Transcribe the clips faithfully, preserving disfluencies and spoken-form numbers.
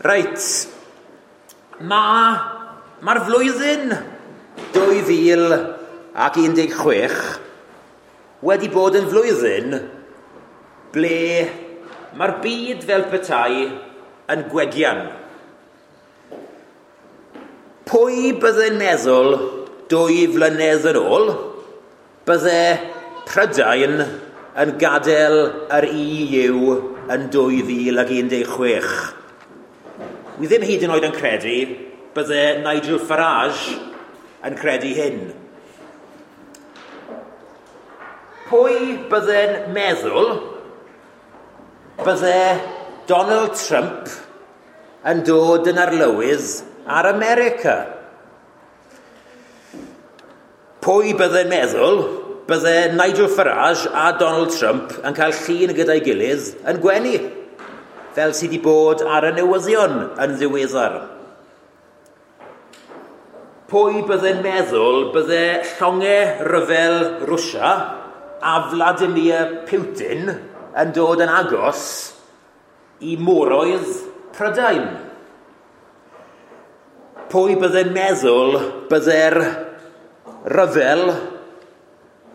Reit, mae'r ma flwyddyn dwy fil ac un deg chwech wedi bod yn flwyddyn ble mae'r byd fel petai yn gwegian. Pwy bydde'n meddwl dwy flynedd yn ôl bydde Prydain yn gadael yr E U yn dwy fil ac un deg chwech? Wi ddim hyd yn oed yn credu bydde Nigel Farage yn credu hyn. Pwy bydde'n meddwl bydde Donald Trump yn dod yn arlywydd ar America? Pwy bydde'n meddwl bydde Nigel Farage a Donald Trump yn cael llun gyda'i gilydd yn gwenu, fel sydd wedi bod ar y newyddion yn ddiweddar? Pwy bydde'n meddwl bydde llongau rhyfel Rwsia a Vladimir Putin yn dod yn agos i moroedd Prydain? Pwy bydde'n meddwl bydde'r rhyfel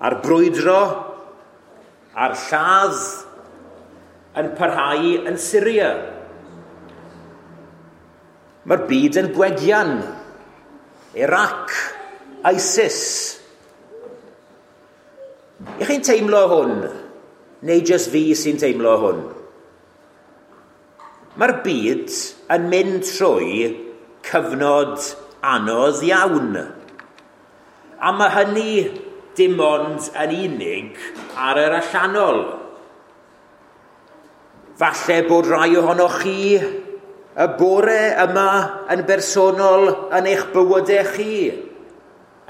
a'r brwydro a'r lladd yn parhau yn Syria? Mae'r byd yn gwegian. Iraq, ISIS. Ych chi'n teimlo hwn? Neu jyst fi sy'n teimlo hwn? Mae'r byd yn mynd trwy cyfnod anodd iawn. A mae hynny dim ond yn unig ar yr allanol. Falle bod rai ohonoch chi y bore yma yn bersonol yn eich bywydau chi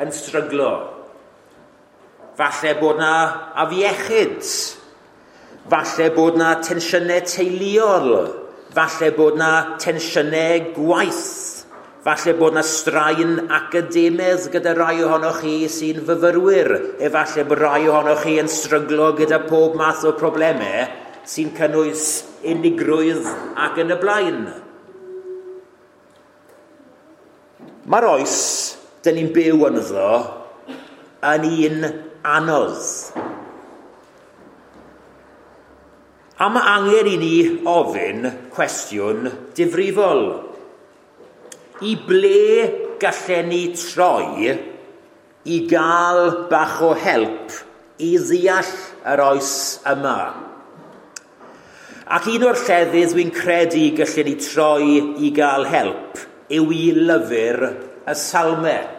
yn stryglo. Falle bod na afiechyd. Falle bod na tensiynau teuluol. Falle bod na tensiynau gwaith. Falle bod na straen academaidd gyda rai ohonoch chi sy'n fyfyrwyr. Efallai bod rai ohonoch chi yn stryglo gyda pob math o problemau sy'n cynnwys unigrwydd ac yn y blaen. Mae'r oes dyn ni'n byw ynddo yn un anodd. A mae angen i ni ofyn cwestiwn difrifol. I ble gallen ni troi i gael bach o help i ddeall yr oes yma? Ac un o'r llefydd dwi'n credu gallen ni troi i gael help yw i lyfr y Salmau.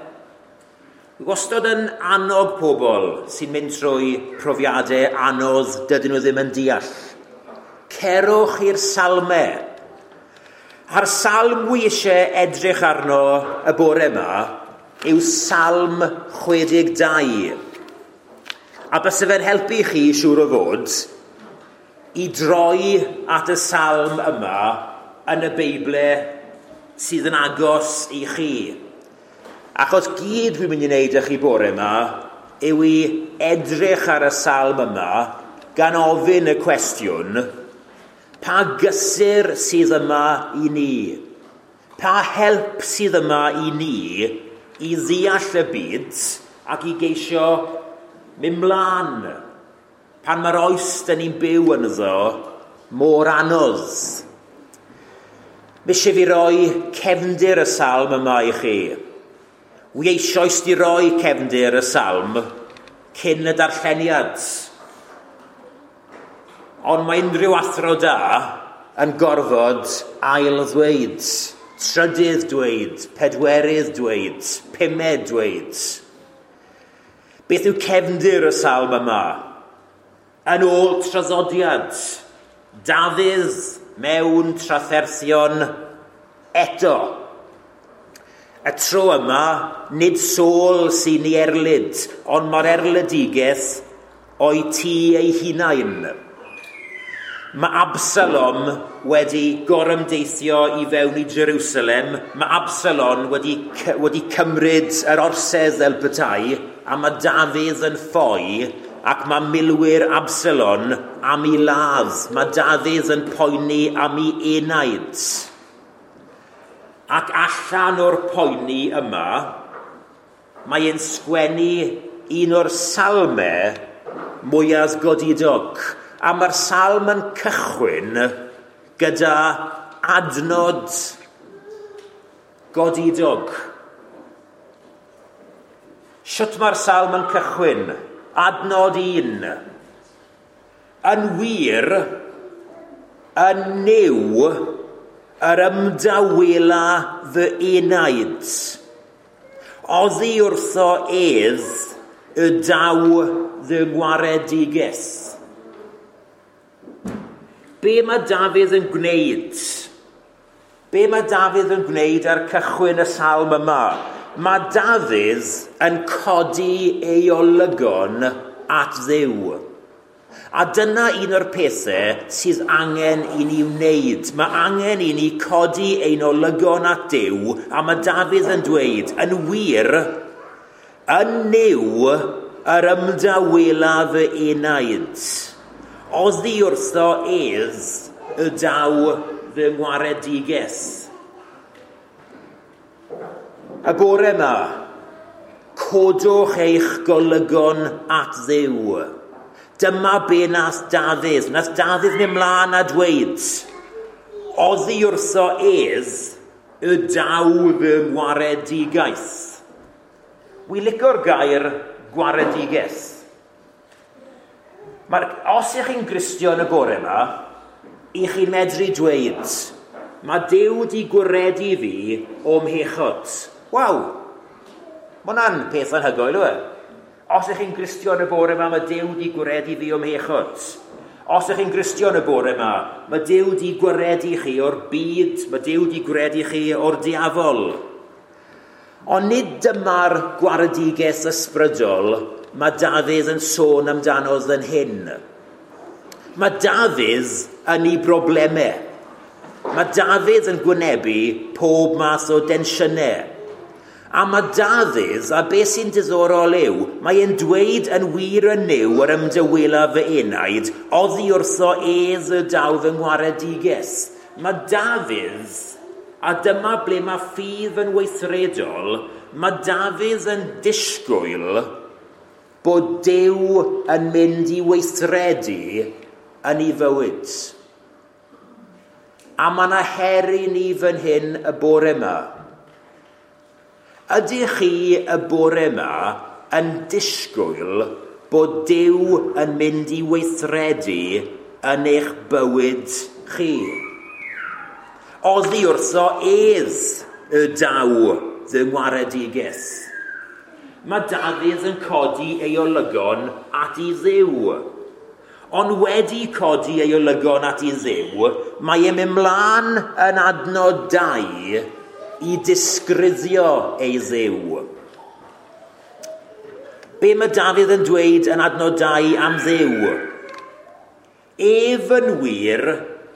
Dwi wastad yn annog pobl sy'n mynd trwy profiadau anodd dydyn nhw ddim yn deall. Cerwch i'r Salmau. A'r salm wi eisiau edrych arno y bore yma yw Salm chwe deg dau. A byse fe'n helpu chi, siŵr o fod, i droi at y salm yma yn y Beibl sydd yn agos i chi. Achos gyd dwi'n mynd i wneud â chi bore yma yw i edrych ar y salm yma gan ofyn y cwestiwn, pa gysur sydd yma i ni? Pa help sydd yma i ni i ddeall y byd ac i geisio mynd mlaen pan mae'r oes dyn ni'n byw ynddo mor anodd? Mi eisiau fi roi cefndir y salm yma i chi. Wi eisoes di roi cefndir y salm cyn y darlleniad. Ond mae unrhyw athro da yn gorfod ail ddweud, trydydd dweud, pedwerydd dweud, pumed dweud. Beth yw cefndir y salm yma? Yn ôl traddodiad, Dafydd mewn trafferthion eto. Y tro yma, nid Saul sy'n ei erlid, ond mae'r erledigaeth o'i tŷ ei hunain. Mae Absalom wedi gorymdeithio i fewn i Jerusalem. Mae Absalom wedi, wedi cymryd yr orsedd fel petai, a mae Dafydd yn ffoi, ac mae milwyr Absalom am ei ladd. Mae Dafydd yn poeni am ei enaid. Ac allan o'r poeni yma, mae e'n sgwennu un o'r salmau mwyaf godidog. A mae'r salm yn cychwyn gyda adnod godidog. Shwt mae'r salm yn cychwyn? Adnod un. Yn wir, yn Nuw, yr ymdawela fy enaid. Oddi wrtho ef y daw fy ngwaredigaeth. Be mae Dafydd yn gwneud? Be mae Dafydd yn gwneud ar cychwyn y salm yma? Mae Dafydd yn codi ei olygon at Dduw. A dyna un o'r pethau sydd angen i ni wneud. Mae angen i ni codi ein olygon at Duw, a mae Dafydd yn dweud, yn wir, yn Nuw yr ymdawela fy enaid. Oddi wrtho ef y daw fy ngwaredigaeth. Y bore yma, codwch eich golygon at Dduw. Dyma be nath Dafydd. Nath Dafydd mynd mlaen a dweud, oddi wrtho ef y daw fy ngwaredigaeth. Wi licio'r gair gwaredigaeth. Mae'r, os ych chi'n Gristion y bore yma, i chi'n medru dweud, mae Duw di gwaredu fi o'm mhechod. Waw! Mae hwnna'n peth anhygoel, yw e? Os ych chi'n Gristion y bore yma, mae Duw di gwaredu fi o'm mhechod. Os ych chi'n Gristion y bore yma, mae Duw di gwaredu chi o'r byd, mae Duw di gwaredu chi o'r diafol. Ond nid dyma'r gwaredigaeth ysbrydol mae Dafydd yn sôn amdano yn hyn. Mae Dafydd yn ei broblemau. Mae Dafydd yn gwynebu pob math o densiynau. A mae Dafydd, a beth sy'n diddorol yw, mae e'n dweud yn wir yn Nuw yr ymdawela fy enaid, oddi wrtho ef y daw fy ngwaredigaeth. Mae Dafydd, a dyma ble mae ffydd yn weithredol, mae Dafydd yn disgwyl bod Duw yn mynd i weithredu yn ei fywyd. A mae yna her i ni fan hyn y bore yma. Ydych chi y bore yma yn disgwyl bod Duw yn mynd i weithredu yn eich bywyd chi? Oddi wrtho ef y daw fy ngwaredigaeth. Mae Dafydd yn codi ei olygon at ei Dduw. Ond wedi codi ei olygon at ei Dduw, mae e'n mynd mlaen yn adnod dau i disgrifio ei Dduw. Be mae Dafydd yn dweud yn adnod dau am Dduw? Ef yn wir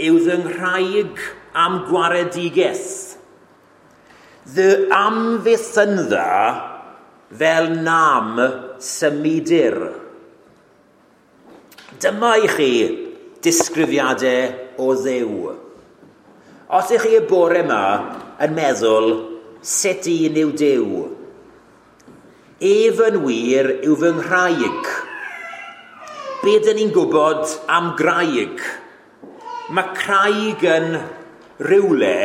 yw fy nghraig am gwaredigaeth. Fy amddiffynfa fel nam symudir. Dyma i chi disgrifiadau o Dduw. Os ych chi y bore yma yn meddwl sut un yw Duw, ef yn wir yw fy nghraig. Be dyn ni'n gwybod am graig? Mae craig yn rywle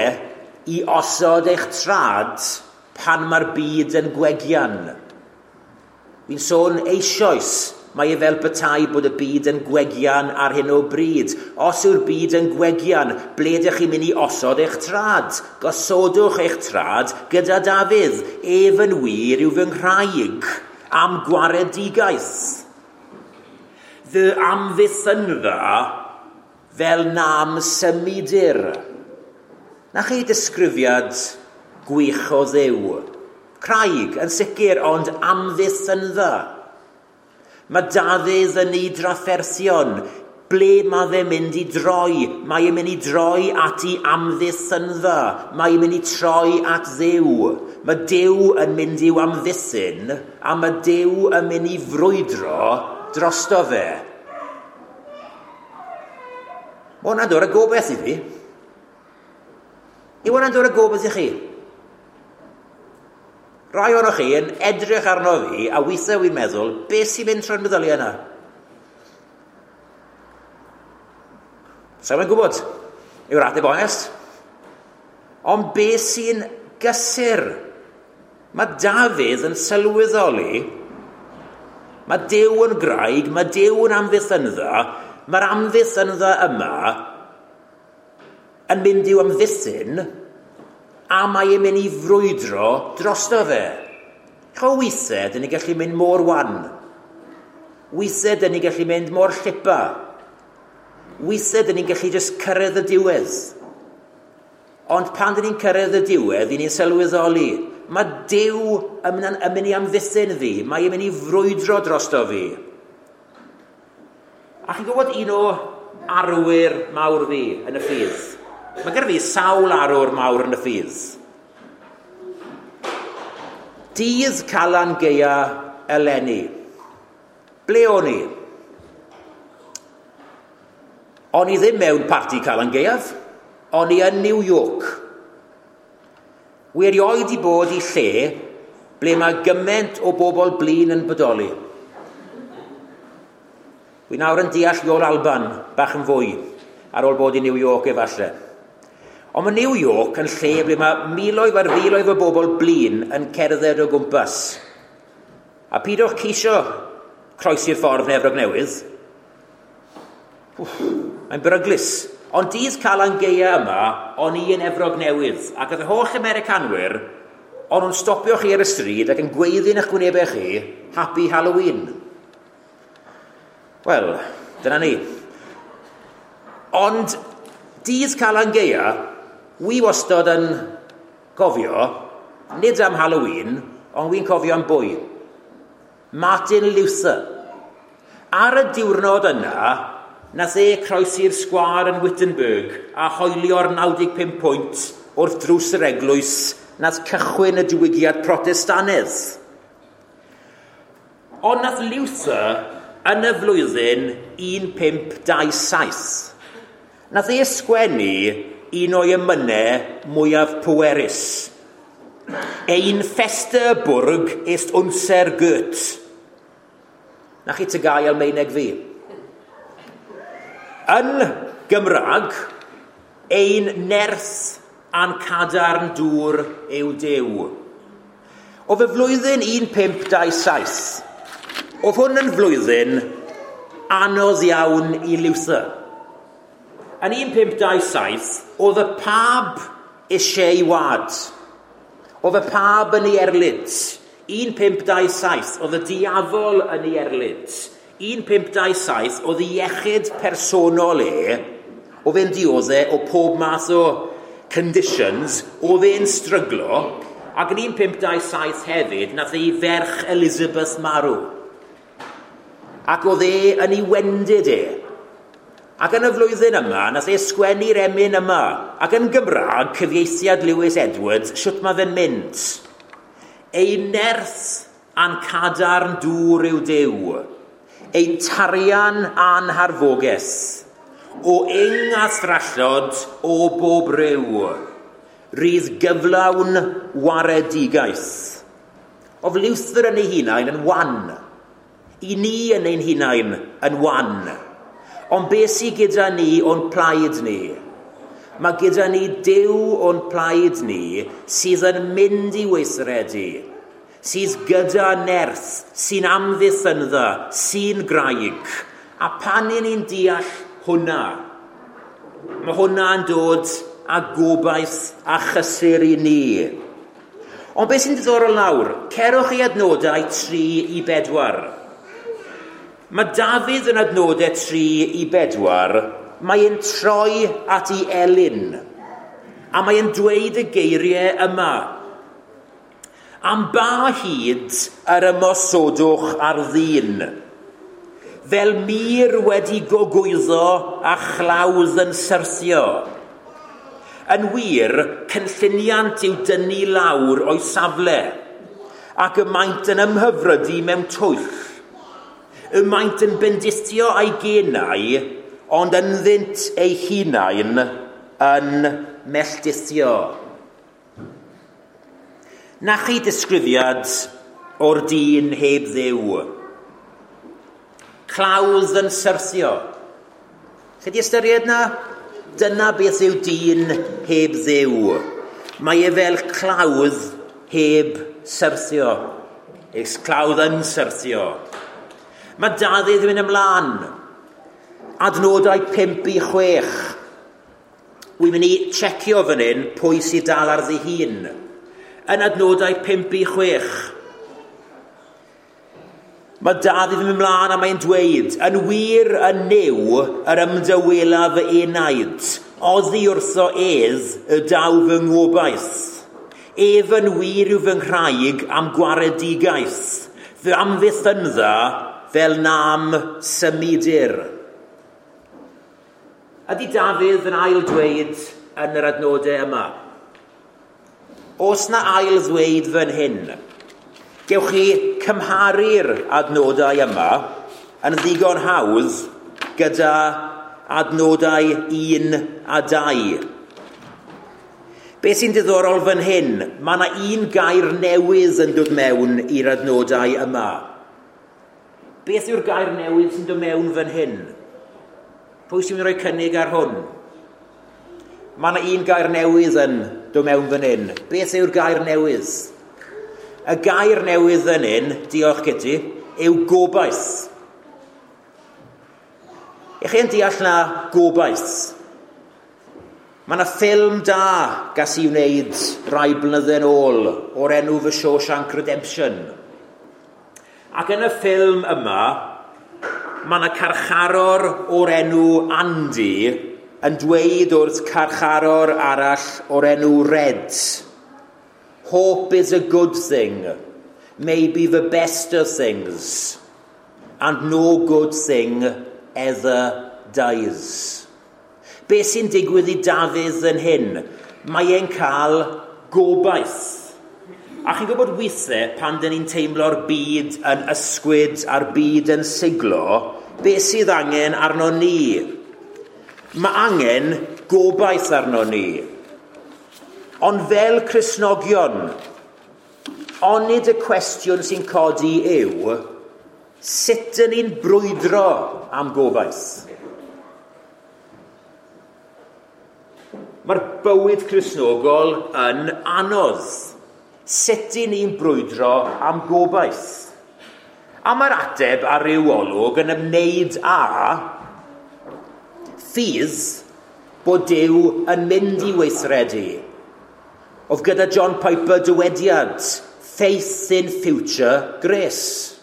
i osod eich trad pan mae'r byd yn gwegian. Fi'n sôn eisoes, mae e fel petai bod y byd yn gwegian ar hyn o bryd. Os yw'r byd yn gwegian, ble ydych chi'n mynd i osod eich trad? Gosodwch eich trad gyda Dafydd. Ef yn wir yw fy nghraig am gwaredigaeth. Fy amddiffynfa fel nam symudir. Na chi disgrifiad gwych o Dduw. Craig yn sicr, ond amddiffynfa. Mae Dafydd yn ei drafferthion. Ble mae fe'n mynd i droi? Mae e'n mynd i droi at ei amddiffynfa. Mae e'n mynd i troi at Dduw. Mae Duw yn mynd i'w amddiffyn, a mae Duw yn mynd i frwydro drosto fe. Mae hwnna'n dod â gobaith i fi. Yw hwnna'n dod â gobaith i chi? Rai ohonoch chi yn edrych arno fi, a weithiau wy'n meddwl, beth sy'n mynd trwy'n meddyliau yna? Sa i'n gwybod, yw'r ateb onest. Ond beth sy'n gysur? Mae Dafydd yn sylweddoli, mae Duw yn graig, mae Duw yn amddiffynfa, mae'r amddiffynfa yma yn mynd i'w amddiffyn, a mae e'n mynd i frwydro drosto fe. Cho weithiau, dyn ni gallu mynd mor wan. Weithiau, dyn ni gallu mynd mor llipa. Weithiau, dyn ni'n gallu jyst cyrraedd y diwedd. Ond pan dyn ni'n cyrraedd y diwedd, dyn ni'n sylweddoli, mae Duw yn mynd i amddiffyn fi, mae e'n mynd i frwydro drosto fi. A chi'n gwybod un o arwyr mawr fi yn y ffydd? Mae gyda fi sawl arwr mawr yn y ffydd. Dydd Calan Gaea eleni. Ble o'n i? O'n i ddim mewn parti Calan Gaeaf. O'n i yn New York. Wi erioed i bod i lle ble mae gymaint o bobl blin yn bodoli. Wi nawr yn deall Iol Alban bach yn fwy ar ôl bod i New York efallai. Ond mae New York yn lle ble mae miloedd ar filoedd o bobl blin yn cerdded o gwmpas. A pidwch ceisio croesi'r ffordd yn Efrog Newydd. Wff, mae'n beryglus. Ond dydd Calan Gaea yma, o'n i yn Efrog Newydd, ac oedd y holl Americanwyr, o'n nhw'n stopio chi ar y stryd ac yn gweiddi yn eich gwynebau chi, Happy Halloween. Wel, dyna ni. Ond dydd Calan Gaea, wi wastod yn cofio, nid am Halloween, ond wi'n cofio am bwy. Martin Luther. Ar y diwrnod yna, nath e croesi'r sgwâr yn Wittenberg a hoelio'r naw deg pump pwynt wrth drws yr eglwys nath cychwyn y diwygiad Protestanedd. Ond nath Luther yn y flwyddyn un pump dau saith, nath e sgwennu un o'i emynau mwyaf pwerus. Ein feste Burg ist unser Gott. Na chi tygau Almaeneg fi. Yn Gymraeg, ein nerth a'n cadarn dŵr yw Duw. Oedd y flwyddyn un pump dau saith, oedd hwn yn flwyddyn anodd iawn i Luther. Yn un pump dau saith, oedd y pab eisiau ei wad. Oedd y pab yn ei erlid. un pump dau saith, oedd y diafol yn ei erlid. un pump dau saith, oedd ei iechyd personol e, oedd e'n dioddef o pob math o conditions, oedd e'n stryglo, ac yn un pump dau saith hefyd, nath ei ferch Elizabeth marw. Ac oedd e yn ei wendid e. Ac yn y flwyddyn yma, nath e sgwennu'r emyn yma. Ac yn Gymraeg, cyfieithiad Lewis Edwards, shwt mae fe'n mynd? Ei nerth a'n cadarn dŵr yw Duw. Ein tarian a'n harfoges. O ing a thrallod o bob ryw. Rydd gyflawn waredigaeth. Oedd Luther yn ei hunain yn wan. I ni yn ein hunain yn wan. Ond beth sydd gyda ni o'n plaid ni? Mae gyda ni Duw o'n plaid ni sydd yn mynd i weithredu, sydd gyda nerth, sy'n amddiffynfa, sy'n graig. A pan i ni'n deall hwnna, mae hwnna'n dod â gobaith a chysur i ni. Ond beth sy'n diddorol nawr? Cerwch i adnodau tri i bedwar. Mae Dafydd yn adnodau tri i bedwar, mae e'n troi at ei elyn, a mae e'n dweud y geiriau yma. Am ba hyd yr ymosodwch ar ddyn, fel mur wedi gogwyddo a chlawdd yn syrthio. Yn wir, cynlluniant yw dynnu lawr o'i safle, ac y maent yn ymhyfrydu mewn twyll. Y maent yn bendithio a'i genau, ond ynddynt eu hunain yn melltithio. Na chi disgrifiad o'r dyn heb Dduw. Clawdd yn syrthio. Chi di ystyried na? Dyna beth yw dyn heb Dduw. Mae e fel clawdd heb syrthio. Eis clawdd yn syrthio. Mae Dafydd yn mynd ymlaen. Adnodau pump i chwech. Wy'n mynd i checio fan hyn pwy sydd dal ar ddihun. Yn adnodau pump i chwech. Mae Dafydd yn mynd ymlaen a mae'n dweud, yn wir yn Nuw yr ymdawela fy enaid, oddi wrtho ef y daw fy ngobaith. Ef yn wir yw fy nghraig am gwaredigaeth, fy amddiffynfa fel na'm symudir. Ydy Dafydd yn ail dweud yn yr adnodau yma? Oes na ail ddweud fan hyn? Gewch chi cymharu'r adnodau yma yn ddigon hawdd gyda adnodau un a dau. Be sy'n diddorol fan hyn? Mae yna un gair newydd yn dod mewn i'r adnodau yma. Beth yw'r gair newydd sy'n dod mewn fan hyn? Pwy sy'n mynd i roi cynnig ar hwn? Mae yna un gair newydd yn dod mewn fan hyn. Beth yw'r gair newydd? Y gair newydd yn hyn, diolch Kitty, yw gobaith. Ych chi'n deall na gobaith? Mae yna ffilm da gas i wneud rai blynydde yn ôl o'r enw The Shawshank Redemption. Ac yn y ffilm yma, mae yna carcharor o'r enw Andy yn dweud wrth carcharor arall o'r enw Red, "Hope is a good thing, maybe the best of things, and no good thing ever dies." Be sy'n digwydd i Dafydd yn hyn? Mae e'n cael gobaith. A chi'n gwybod weithiau pan dyn ni'n teimlo'r byd yn ysgwyd a'r byd yn siglo, be sydd angen arno ni? Mae angen gobaith arno ni. Ond fel Cristnogion, onid y cwestiwn sy'n codi yw, sut dyn ni'n brwydro am gobaith? Mae'r bywyd Cristnogol yn anodd. Sut dyn ni'n brwydro am gobaith? A mae'r ateb ar ryw olwg yn ymwneud â ffydd bod Duw yn mynd i weithredu. Oedd gyda John Piper dywediad, "Faith in future grace."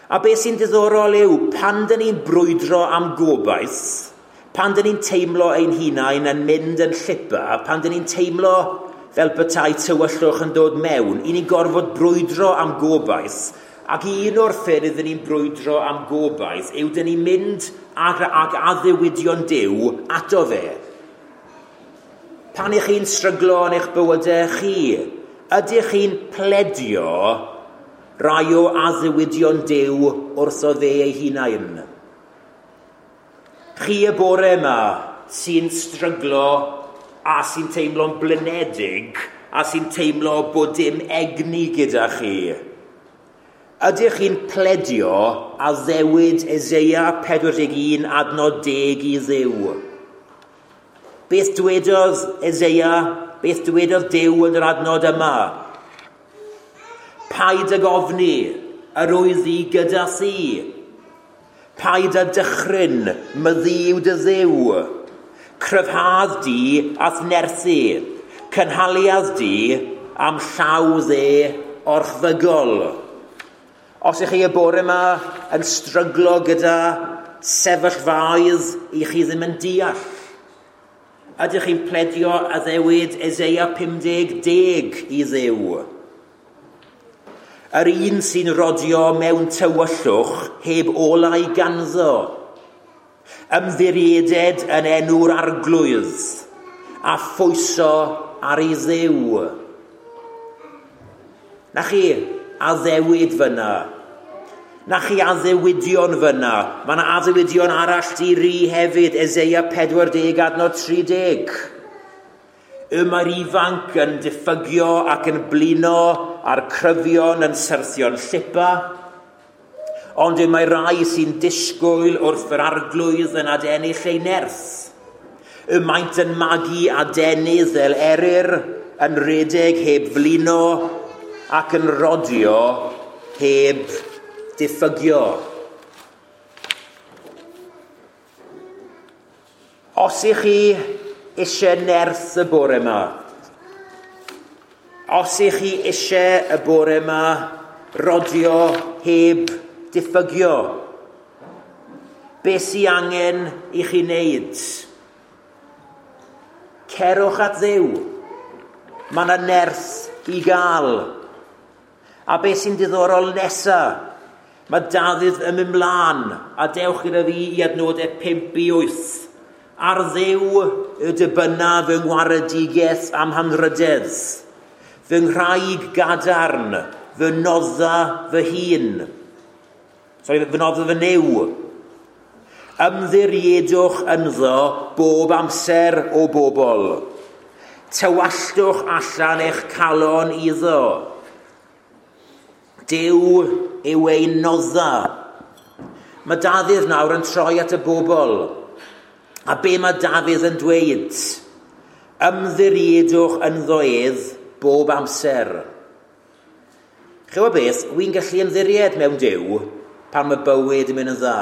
A beth sy'n diddorol yw, pan dyn ni'n brwydro am gobaith, pan dyn ni'n teimlo ein hunain yn mynd yn llipa, pan dyn ni'n teimlo fel petai tywyllwch yn dod mewn, i ni'n gorfod brwydro am gobaith, ac un o'r ffyrdd dyn ni'n brwydro am gobaith yw dyn ni'n mynd ag, ag addewidion Duw ato fe. Pan ych chi'n stryglo yn eich bywydau chi, ydych chi'n pledio rai o addewidion Duw wrtho fe ei hunain? Chi y bore yma sy'n stryglo a sy'n teimlo'n blinedig a sy'n teimlo bod dim egni gyda chi. Ydych chi'n pledio addewid Eseia pedwar deg un adnod deg i Dduw? Beth dwedodd Eseia, beth dwedodd Duw yn yr adnod yma? Paid ag ofni, yr wyf i gyda thi. Paid â dychryn, myfi yw dy Dduw. Cryfhad di a'th nerthu, cynhaliad di am llaw dde orchfygol. Os ych chi y bore yma yn stryglo gyda sefyllfaoedd i chi ddim yn deall, ydych chi'n pledio addewid Eseia pum deg deg i Dduw? Yr un sy'n rodio mewn tywyllwch heb olau ganddo, ymddirieded yn enw'r Arglwydd, a phwyso ar ei Dduw. Na chi addewid fyna. Na chi addewidion fyna. Mae yna addewidion arall di ri hefyd, Eseia pedwar deg adnod tri deg. Y mae'r ifanc yn diffygio ac yn blino a'r cryfion yn syrthio'n llipa. Ond y mae rai sy'n disgwyl wrth yr arglwydd yn adennill ei nerth. Y maent yn magu adenydd fel eryr, yn redeg heb flino ac yn rodio heb diffygio. Os ych chi eisiau nerth y bore yma, os ych chi eisiau y bore yma rodio heb diffygio, beth sy'n angen i chi wneud? Cerwch at Dduw. Mae yna nerth i gael. A beth sy'n diddorol nesa? Mae Dafydd yn mynd mlaen, a dewch gyda fi i adnodau pump i wyth. Ar Dduw y dibynna fy ngwaredigaeth am hanrydedd, fy nghraig gadarn, fy nodda fy hun. Sorry, fy nodda fy Nuw. Ymddiriedwch ynddo bob amser o bobl. Tywalltwch allan eich calon iddo. Duw yw ein nodda. Mae Dafydd nawr yn troi at y bobl. A be mae Dafydd yn dweud? Ymddiriedwch ynddo ef bob amser. Ch'wbo beth, wy'n gallu ymddiried mewn Duw pan mae bywyd yn mynd yn dda.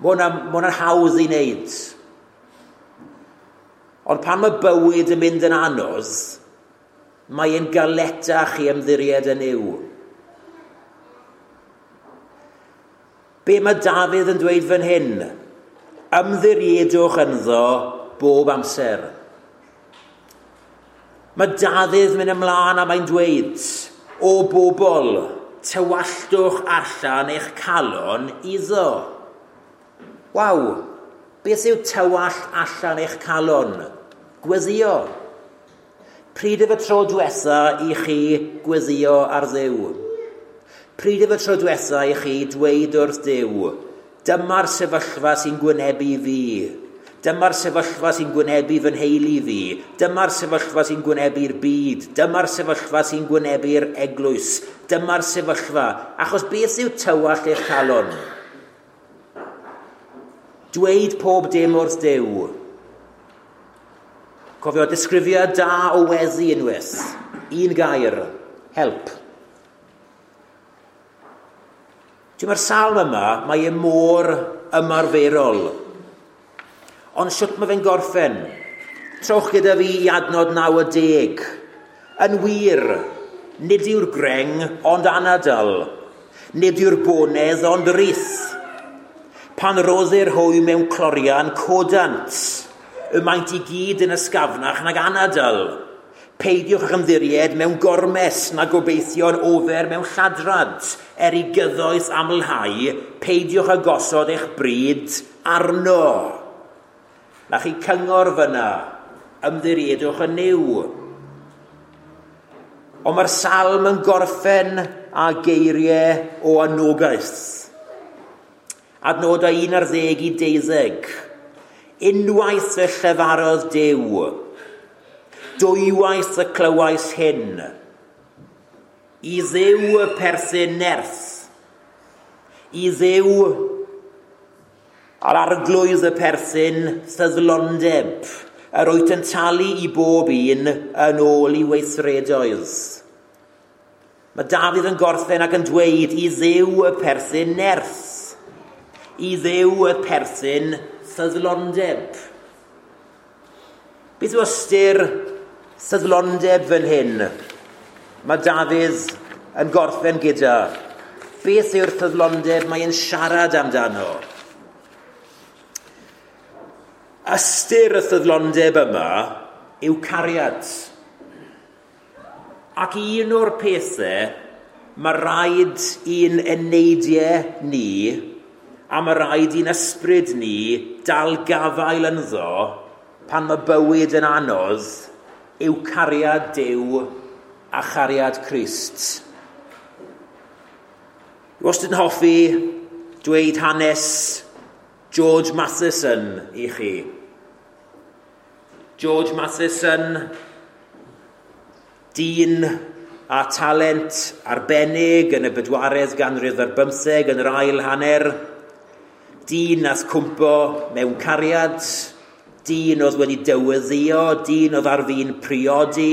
Mae hwnna'n hawdd i wneud. Ond pan mae bywyd yn mynd yn anodd, mae'n galetach i ymddiried yn Nuw. Be mae Dafydd yn dweud fan hyn? Ymddiriedwch ynddo bob amser. Mae Dafydd mynd ymlaen a mae'n dweud, o bobl, tywalltwch allan eich calon iddo. Waw, beth yw tywallt allan eich calon? Gweddio. Pryd yw y tro diwetha i chi gweddio ar Dduw? Pryd yw y tro diwetha i chi dweud wrth Dduw, dyma'r sefyllfa sy'n gwynebu fi, dyma'r sefyllfa sy'n gwynebu fy nheulu fi, dyma'r sefyllfa sy'n gwynebu'r byd, dyma'r sefyllfa sy'n gwynebu'r eglwys, dyma'r sefyllfa, achos beth yw tywallt eich calon? Dweud pob dim wrth Duw. Cofio, disgrifiad da o weddi unwaith. Un gair, help. Ti'n mae'r salm yma, mae e mor ymarferol. Ond sut mae fe'n gorffen? Trowch gyda fi i adnod naw a deg. Yn wir, nid yw'r greng ond anadl. Nid yw'r bonedd ond rith. Pan roddir hwy mewn clorian, codant. Y maent i gyd yn ysgafnach nag anadl. Peidiwch ag ymddiried mewn gormes na gobeithio'n ofer mewn lladrad. Er i gyddoeth amlhau, peidiwch â gosod eich bryd arno. Na chi cyngor fyna, ymddiriedwch yn Nuw. Ond mae'r salm yn gorffen â geiriau o anogaeth. Adnodau un ar ddeg i deuddeg. Unwaith y llefarodd Duw, dwywaith y clywais hyn. I Dduw y perthyn nerth, i Dduw a'r arglwydd y perthyn ffyddlondeb, yr wyt yn talu i bob un yn ôl i weithredoedd. Mae Dafydd yn gorffen ac yn dweud i Dduw y perthyn nerth, i Dduw y perthyn ffyddlondeb. Beth yw ystyr ffyddlondeb fan hyn? Mae Dafydd yn gorffen gyda. Beth yw'r ffyddlondeb mae'n siarad amdano? Ystyr y ffyddlondeb yma yw cariad. Ac un o'r pethau mae rhaid i'n eneidiau ni a mae rhaid i'n ysbryd ni dal gafael ynddo pan mae bywyd yn anodd yw cariad Duw a chariad Crist. Dwi wastad yn hoffi dweud hanes George Matheson i chi. George Matheson, dyn a talent arbennig yn y bedwaredd ganrif ar bymtheg yn yr ail hanner, dyn nath cwmpo mewn cariad, dyn oedd wedi dyweddio, dyn oedd ar fin priodi,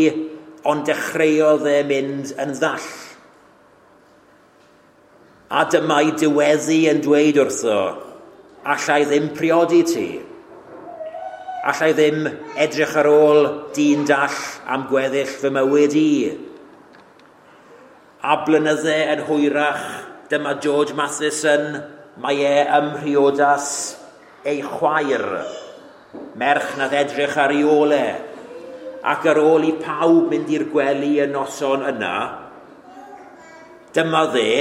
ond dechreuodd e mynd yn ddall. A dyma'i diweddu yn dweud wrtho, allai ddim priodi ti. Allai ddim edrych ar ôl dyn dall am gweddill fy mywyd i. A blynydde yn hwyrach, dyma George Matheson, mae e ym mhriodas ei chwaer, merch nath edrych ar ei ôl e. Ac ar ôl i pawb mynd i'r gwely y noson yna, dyma dde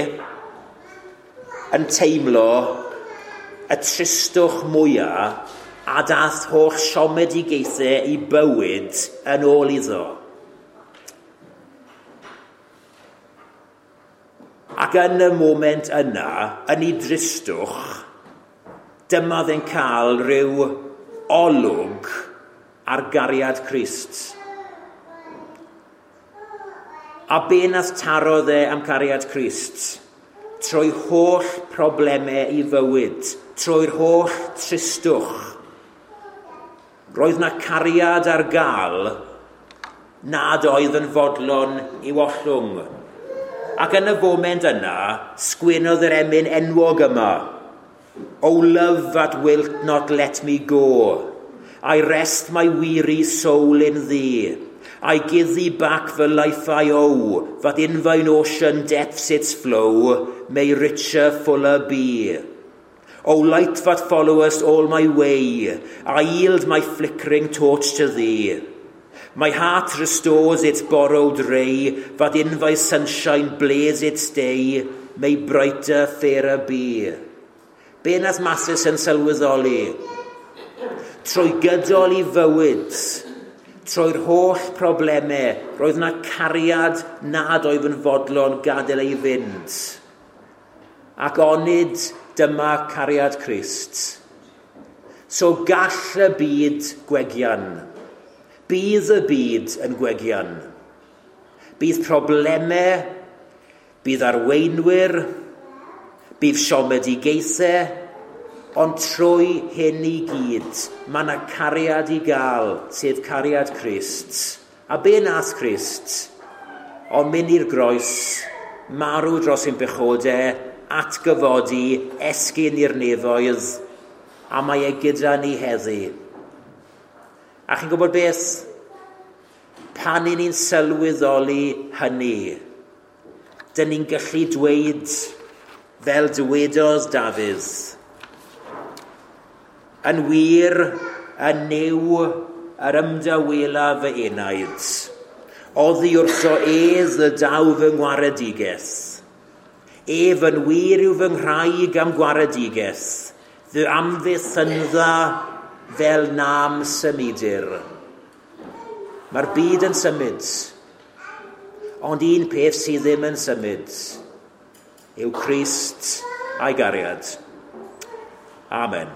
yn teimlo y tristwch mwyaf a dath holl siomedigaethau ei bywyd yn ôl iddo. Ac yn y moment yna, yn ei dristwch, dyma dde'n cael rhyw olwg ar gariad Crist. A be nath taro dde am cariad Crist? Trwy holl problemau ei fywyd, trwy'r holl tristwch. Roedd na cariad ar gael nad oedd yn fodlon i'w ollwng. Ac yn y foment yna, sgwenodd yr emyn enwog yma. O love that wilt not let me go, I rest my weary soul in thee. I give thee back the life I owe, that in thine ocean depths its flow may richer, fuller be. O light that followest all my way, I yield my flickering torch to thee. My heart restores its borrowed ray, that in thy sunshine blaze its day, may brighter, fairer be. Be nath Matheson sylweddoli? Trwy gydol i fywyd, trwy'r holl problemau, roedd yna cariad nad oedd yn fodlon gadael ei fynd. Ac onid dyma cariad Crist. So gall y byd gwegian. Bydd y byd yn gwegian. Bydd problemau, bydd arweinwyr, bydd siomedigaethau, ond trwy hyn i gyd, mae yna cariad i gael, sef cariad Crist. A be nath Crist? Ond mynd i'r groes, marw dros ein pechodau, atgyfodi, esgyn i'r nefoedd, a mae e gyda ni heddi. A chi'n gwybod beth? Pan i ni'n sylweddoli hynny, dyn ni'n gallu dweud fel dywedodd Dafydd, yn wir, yn Nuw, yr ymdawela fy enaid. Oddi wrtho ef y daw fy ngwaredigaeth. Ef yn wir yw fy nghraig am gwaredigaeth, fy amddiffynfa fel nam symudir. Mae'r byd yn symud, ond un peth sydd ddim yn symud yw Crist a'i gariad. Amen.